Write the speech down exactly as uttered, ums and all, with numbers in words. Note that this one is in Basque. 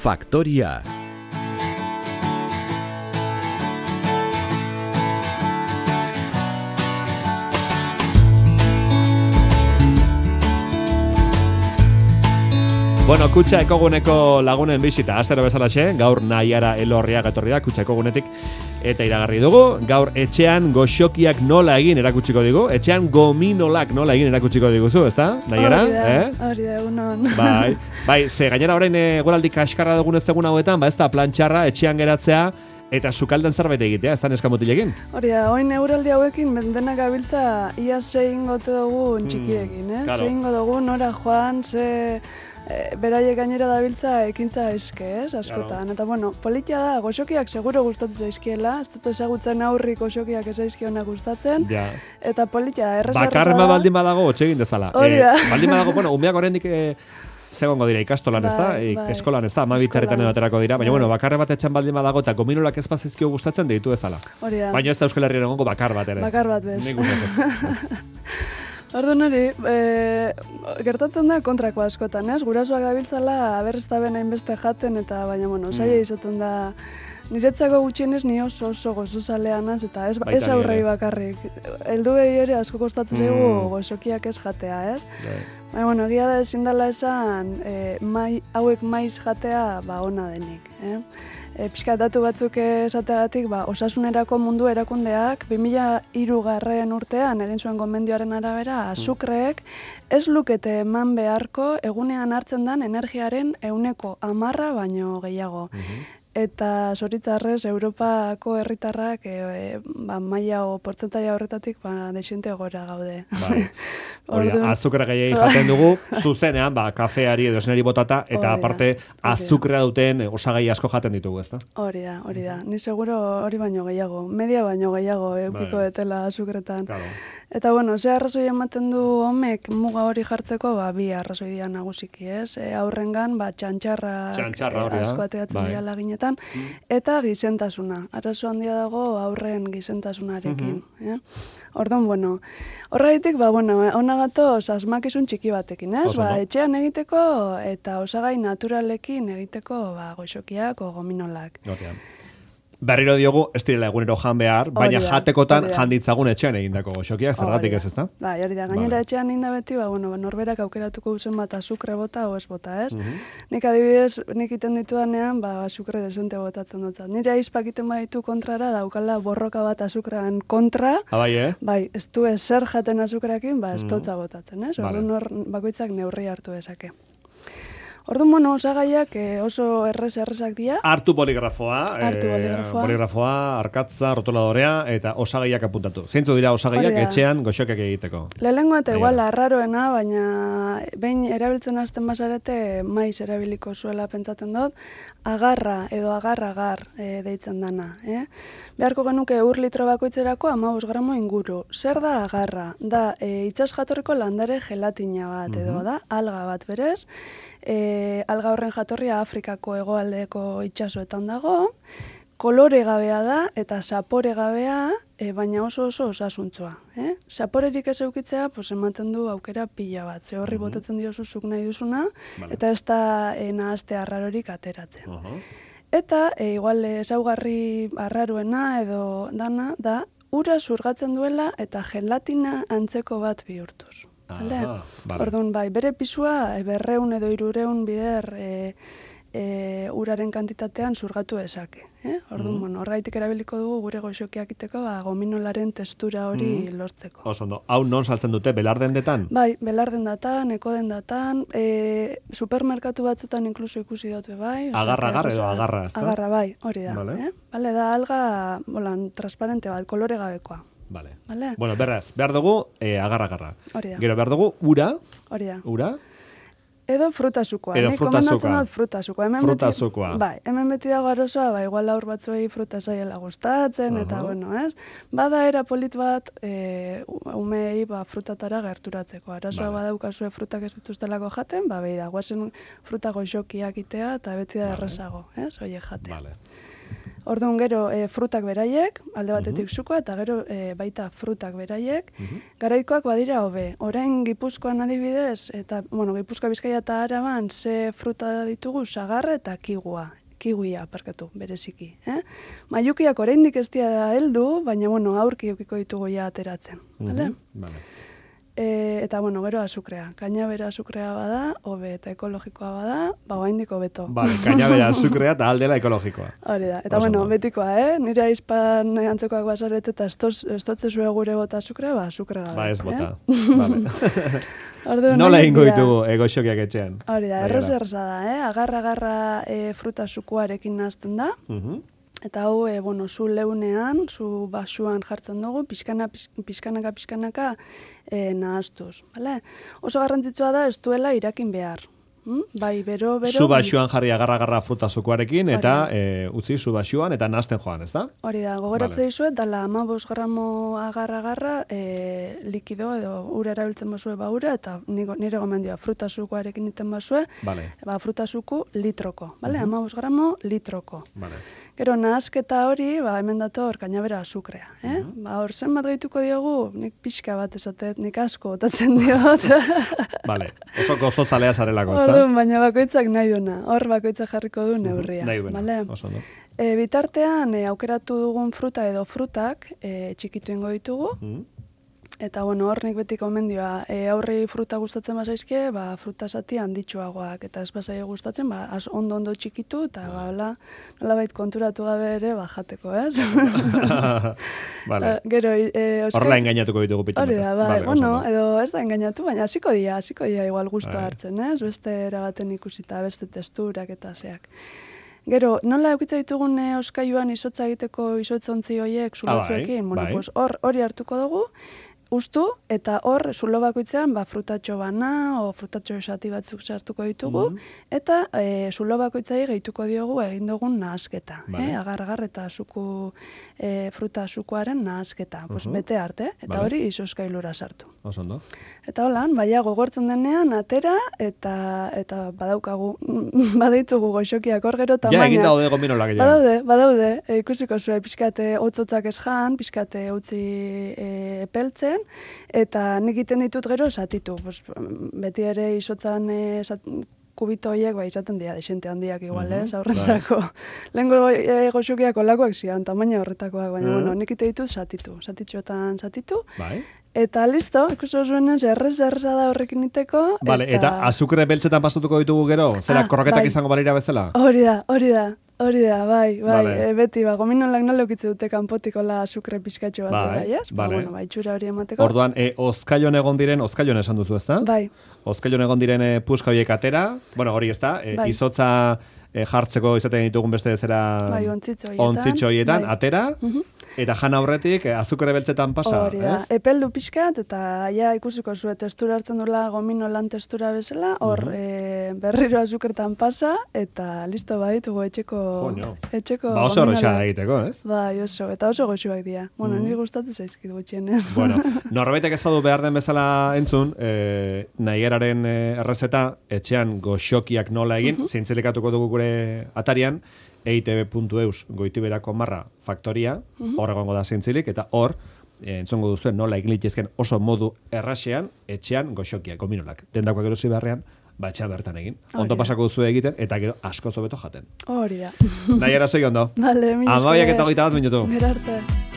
Faktoria. Bueno, Kutxa Ekoguneko lagunen bisita, astero bezalaxe, gaur Naiara Elorriaga etorri da Kutxa Ekogunetik eta iragarri dugu. Gaur etxean goxokiak nola egin erakutsiko digu, etxean gominolak nola egin erakutsiko diguzu, ezta? Naiara? Hori da, eh? hori da, egunon. Bai, bai, ze gainera orain eguraldi kaskarra dugun ez dugun hauetan, ba ez da plantxarra, etxean geratzea, eta sukalden zerbait egitea, ez da neskamutilekin. Hori da, oin euraldi hauekin bendenak gabiltza ia zein gote dugun txikiekin, eh? claro. Zein dugu nora joan, ze... E, beraiek gainera dabiltza ekintza eske, ez, askotan. Claro. Eta, bueno, politia da, goxokiak seguro gustatzen zaizkiela, ez dut ezagutzen aurri goxokiak ez zaizkionak gustatzen, ja. Eta politia da, errez erreza da. Bakarma baldin badago, otxegin dezala. Hori da. Eh, baldin badago, bueno, umeak oraindik eh, zegongo dira ikastolan, ez da? Bai, bai. Eskolan, ez da? Ama bitarretan aterako dira, baina, Bai. bueno, bakar bat etxan baldin badago, eta gominolak ez bazizkio gustatzen deitu ezala. Hori da. Baina ez da Euskal Herrian egongo bakar bat ere. Bakar bat bez. Nik gustatzen. Orduan hori, e, gertatzen da kontrako askotan, ez? Gurasoak gabiltzala aberreztaben hainbeste jaten, eta baina, bueno, saia izaten da, niretzako gutxienez ni oso oso gozozalea naz, eta ez, ez aurrei bakarrik. Heldu behi ere asko kostatzen zaigu mm. gozokiak ez jatea, ez? Yeah. Baina, bueno, egia da ezin dela esan, e, mai, hauek maiz jatea, ba, ona denik, eh? E, pixka datu batzuk esateagatik, ba, osasunerako mundu erakundeak bi mila hirugarren urtean egin zuen gomendioaren arabera, azukreek ez lukete eman beharko egunean hartzen den energiaren ehuneko hamarra baino gehiago. Mm-hmm. Eta zoritzarrez, Europako herritarrak e, e, ba, maila o portzentaia horretatik ba, desiente gora gaude. Bai. Hori da, azukra gehiagin jaten dugu, zuzenean, ba, kafeari edo esneri botata, eta aparte, azukrea duten osagai asko jaten ditugu, ezta? Hori da, hori da. Ni seguro hori baino gehiago, media baino gehiago eukiko detela azukretan. Claro. Eta, bueno, ze arrazoi ematen du homek muga hori jartzeko, ba, bi arrazoi dira nagusiki, ez? E, aurrengan, ba, txantxarrak Txantxarra, e, asko ateatzen bai. Dira laginetan, mm. eta gizentasuna. Arazo handia dago aurren gizentasunarekin, mm-hmm. eh? Orduan, bueno, horregatik, ba, bueno, ona gatoz asmakizun txiki batekin, ez? Ba, etxean egiteko eta osagai naturalekin egiteko, ba, goxokiak o gominolak. Notean. Berriro diogu, ez direla egunero jan behar, baina da, jatekotan janditzagun etxean egindako goxokiak, zergatik ez, ezta? Bai, hori da, gainera vale. Etxean inda beti, ba, bueno, norberak aukeratuko duzen bat azukre bota o ez bota, ez? Mm-hmm. Nik adibidez, nik iten ditudanean, ba, azukre desente botatzen dutzat. Nire aizpak iten baditu kontrara, daukala borroka bat azukrean kontra, ah, bai, eh? Bai, ez du ezer jaten azukreakin, ba, ez dotza botatzen, ez? Vale. Orduan bakoitzak neurri hartu dezake. Orduan, bueno, osagaiak oso errez errezak dira. Hartu poligrafoa, Hartu poligrafoa. Eh, poligrafoa, arkatza, rotuladorea eta osagaiak apuntatu. Zeintzu dira osagaiak etxean goxokiak egiteko? Lehenengo eta igual arraroena, baina behin erabiltzen hasten bazarete maiz erabiliko zuela pentsatzen dut, agarra edo agar-agar e, deitzen dana. Eh? Beharko genuke ur litro bakoitzerako hamabost gramo inguru. Zer da agarra? Da e, itsas jatorriko landare gelatina bat, edo mm-hmm. da alga bat berez. E, alga horren jatorria Afrikako hegoaldeko itsasoetan dago, kolore gabea da eta zapore gabea, e, baina oso oso osasuntsua. Eh? Zaporerik ez eukitzea, pues, ematen du aukera pila bat, ze horri uh-huh. botatzen diozu zuk nahi duzuna, vale. Eta ez da e, nahazte arrarorik ateratzen. Uh-huh. Eta, e, igual ezaugarri arraroena edo dana, da, ura zurgatzen duela eta gelatina antzeko bat bihurtuz. Aha, vale. Orduan, bai, bere pisua berreun edo hirureun bider e, e, uraren kantitatean zurgatu ezake. Eh? Orduan, mm. bueno, horgaitik erabiliko dugu gure goxokiak iteko, ba, gominolaren testura hori mm. lortzeko. Oso ondo, hau non saltzen dute, belardendetan? Bai, belardendatan, ekodendatan, e, supermerkatu batzutan inkluso ikusi dut bai. Agarra-agar edo agarra, ez da? Agarra, bai, hori da. Vale. Eh? Bale, da alga, bolan, transparente bat, kolore gabekoa. Vale. Vale. Bueno, berraz, behar dugu eh, agarra-agarra. Hori da. Gero behar dugu ura. Hori da. Ura. Edo frutasukoa. Edo frutasukoa. Nik frutasukoa. Hemen frutasukoa. Beti, bai, hemen beti dago arosoa, ba, igual aur batzuei fruta zaiela gustatzen, uh-huh. eta, bueno, ez? Bada era polit bat, e, umei, ba, frutatara gerturatzeko. Arazoa vale. Badaukazue frutak ez dituztelako jaten, ba, behi da, guazen fruta goxokiak itea, eta beti da vale. Errezago, ez? Oie jatea. Vale. Orduan gero e, frutak beraiek, alde batetik uh-huh. sukoa, eta gero e, baita frutak beraiek, uh-huh. garaikoak badira hobe. Orain Gipuzkoan adibidez, eta, bueno, Gipuzkoa, Bizkaia eta Araban, ze fruta ditugu, sagarra eta kigua. Kiwia, parkatu, bereziki. Eh? Maiukiak oraindik ez dira heldu, baina, bueno, aurki eukiko ditugu ja ateratzen. Vale? Uh-huh. Vale. E, eta, bueno, gero azukrea. Kainabera azukrea bada, hobe eta ekologikoa bada, ba, oraindik hobeto. Vale, kainabera azukrea eta aldela ekologikoa. Hori da. Eta, bueno, betikoa, eh? Nire aizpan antzekoak basaret eta estotze zue gure bota azukrea, ba, azukrea gabe. Ba, ez bota. Eh? Vale. Ordu, nola egingo ditugu egoxokiak etxean? Hori da, errez erreza da, eh? Agarra-agarra e, fruta sukuarekin nazten da. Uh-huh. Eta hau, e, bueno, zu leunean, zu basuan jartzen dugu, pixkana, pixkanaka, pixkanaka e, nahaztuz. Vale? Oso garrantzitsua da ez duela irakin behar. Hmm? Bai, bero, bero... Zu basuan jarri agarra-agarra fruta zukuarekin, eta e, utzi zu basuan, eta nazten joan, ez da? Hori da, gogoratze vale. Dizuet, dala amabos gramo agarra-agarra e, likido edo ura erabiltzen basue ba ura, eta nire gomendioa fruta zukuarekin iten basue, vale. Ba, fruta zuku litroko, vale? Uh-huh. amabos gramo litroko. Vale. Gero, nahazketa hori, ba, hemen dator kainabera azukrea. Eh? Uh-huh. Ba, hor zen bat gehituko diogu, nik pixka bat esatet, nik asko botatzen diot. Vale, oso gozotzalea zarelako, ez da? Orduan, baina bakoitzak nahi duna, hor bakoitzak jarriko du neurria. Uh-huh. Nahi duena, vale? oso no. E, bitartean, e, aukeratu dugun fruta edo frutak e, txikitu ingo ditugu. Uh-huh. Eta, bueno, hor nik beti komendioa, e, aurrei fruta gustatzen bazaizke, ba, fruta zati handitxuagoak, eta ez bazai gustatzen, ba, az ondo-ondo txikitu, eta, ba, hola, nolabait konturatu gabe ere, ba, jateko, ez? Vale. Gero, e, oskal... Horla engainatuko ditugu pitan. Hori da, bai, vale, bueno, edo ez da engainatu, baina hasiko dia, hasiko dia igual gustoa hartzen, ez? Beste eragaten ikusita, beste testurak eta zeak. Gero, nola eukitza ditugun e, oskailuan izotza egiteko izotzontzi hoiek zulotzuekin? Ah, bai, bueno, bai. Pues hor hori hartuko dugu, ustu, eta hor, zulo bakoitzean, ba, frutatxo bana, o frutatxo esati batzuk sartuko ditugu, mm. eta e, zulo bakoitzai gehituko diogu egin dugun nahazketa. Vale. Eh? Agar-agar eta suku, e, fruta sukuaren nahazketa. Uh-huh. Pues, bete arte, eta vale. Hori izoskailura sartu. Osondo. Eta holan, baina gogortzen denean, atera, eta eta badaukagu, badaitugu goxokiak hor gero tamaina. Ja, egin daude gominolak. Badaude, badaude, e, ikusiko zuen, pixkate hotzotzak ez jan, pixkate utzi e, epeltzen, eta nik egiten ditut gero esatitu. Pues, beti ere izotzan e, kubito horiek ba, izaten dira, desente handiak igual, uh-huh. ez, aurrentzako. Lehenko e, goxokiak olakoak zian, tamaina horretakoak, baina, uh-huh. bueno, nik egiten ditut satitu, satitxoetan satitu. Bai. Eta listo, ikusi zuen errez erreza da horrekin iteko. Vale, eta, eta azukre beltzetan pasatuko ditugu gero? Zera, ah, korroketak bai. Izango balira bezala? Hori da, hori da. Hori da, bai, bai, vale. E, beti, ba, gominolak nola ukitze dute kanpotikola azukre pizkatxo bat, bai, bai, ez? Ba, vale. Bueno, bai, txura hori emateko. Orduan, e, ozkailon egon diren, ozkailon esan duzu, ez da? Bai. Ozkailon egon diren e, puska horiek atera, bueno, hori ez da, e, bai. Izotza e, jartzeko izaten ditugun beste zera... Bai, ontzitxo horietan. Ontzitxo horietan, bai. Atera, uh-huh. Eta jan aurretik azukre beltzetan pasa, hori da, ez? Epeldu pixkat, eta ja ikusiko zuen testura hartzen dula gomino lan testura bezala, hor uh-huh. e, berriro azukretan pasa, eta listo baditugu etxeko... Joño. Etxeko ba oso horrexan egiteko, ez? Bai, oso, eta oso goxuak dira. Bueno, uh-huh. Niri gustatzen zaizkit gutxienez. Bueno, norbaitek ez badu behar den bezala entzun, e, nahieraren e, errezeta, etxean goxokiak nola egin, uh-huh. Zintzelikatuko dugu gure atarian, e i te be puntu eus goitiberako marra faktoria, uh-huh. Hor egongo da zintzilik, eta hor, e, entzongo duzuen nola egin litezken oso modu errasean, etxean goxokiak, gominolak. Dendakoak erosi beharrean, ba etxean bertan egin. Ondo pasako duzu egiten, eta gero asko zobeto jaten. Hori da. Nahi era segi ondo. Vale, mi esker. Amabiak eta hogeita bat minutu. Mirarte.